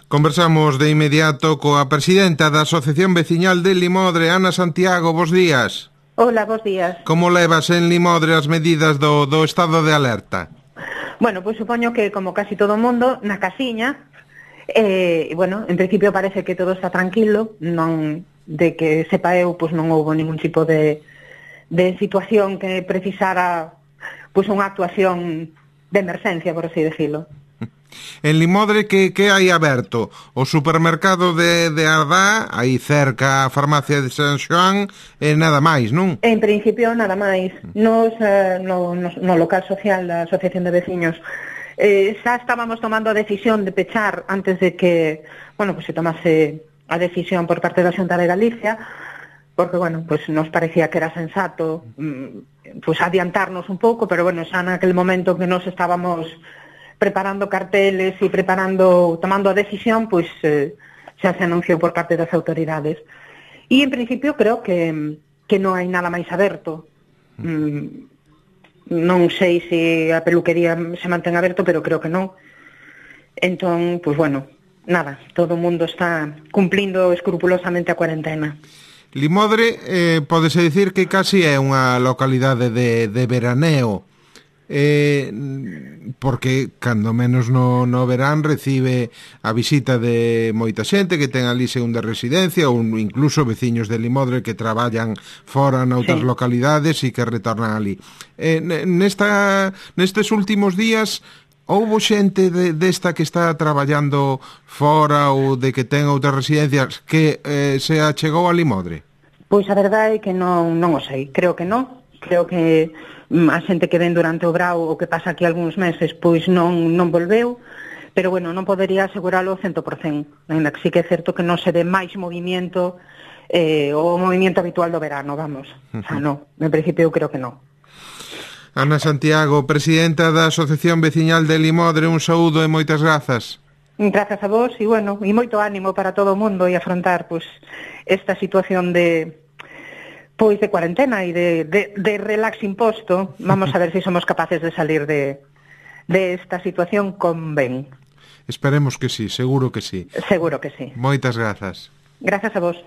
Conversamos de inmediato coa presidenta da Asociación Veciñal de Limodre, Ana Santiago. Bos días. Hola, bos días. Como levas en Limodre as medidas do estado de alerta? Bueno, pois supoño que como casi todo o mundo, na casiña, bueno, en principio parece que todo está tranquilo, non de que sepa eu, pois non houbo ningún tipo de situación que precisara pois unha actuación de emerxencia, por así decirlo. En Limodre que hai aberto? O supermercado de Ardá, aí cerca a farmacia de San Xoán, e nada máis, non? En principio nada máis. Nos, no local social da Asociación de Veciños xa estábamos tomando a decisión de pechar antes de que, bueno, pues se tomase a decisión por parte da Xunta de Galicia, porque, bueno, pues nos parecía que era sensato pues adiantarnos un pouco, pero, bueno, xa naquel momento que nos estábamos preparando carteles e tomando a decisión, pois xa se anunciou por parte das autoridades. E en principio creo que non hai nada máis aberto. Non sei se a peluquería se mantén aberto, pero creo que non. Entón, pois bueno, nada, todo o mundo está cumplindo escrupulosamente a cuarentena. Limodre, pódese dicir que casi é unha localidade de veraneo, porque cando menos no verán recibe a visita de moita xente que ten ali segunda residencia ou incluso veciños de Limodre que traballan fora noutras localidades e que retornan ali. Nestes últimos días houbo xente desta que está traballando fora ou de que ten outras residencias que se achegou a Limodre? Pois a verdade é que non o sei, creo que non. Creo que a xente que ven durante o brao ou que pasa aquí algúns meses pois non volveu, pero bueno, non podería aseguralo 100%, ainda que sí que é certo que non se ve máis movimiento, o movimiento habitual do verano, vamos. O sea, non, en principio eu creo que non. Ana Santiago, presidenta da Asociación Veciñal de Limodre, un saúdo e moitas grazas. Grazas a vos e, bueno, e moito ánimo para todo o mundo e afrontar pois esta situación de cuarentena e de relax imposto. Vamos a ver se somos capaces de salir de esta situación con ben. Esperemos que sí, seguro que sí. Seguro que sí. Moitas grazas. Grazas a vos.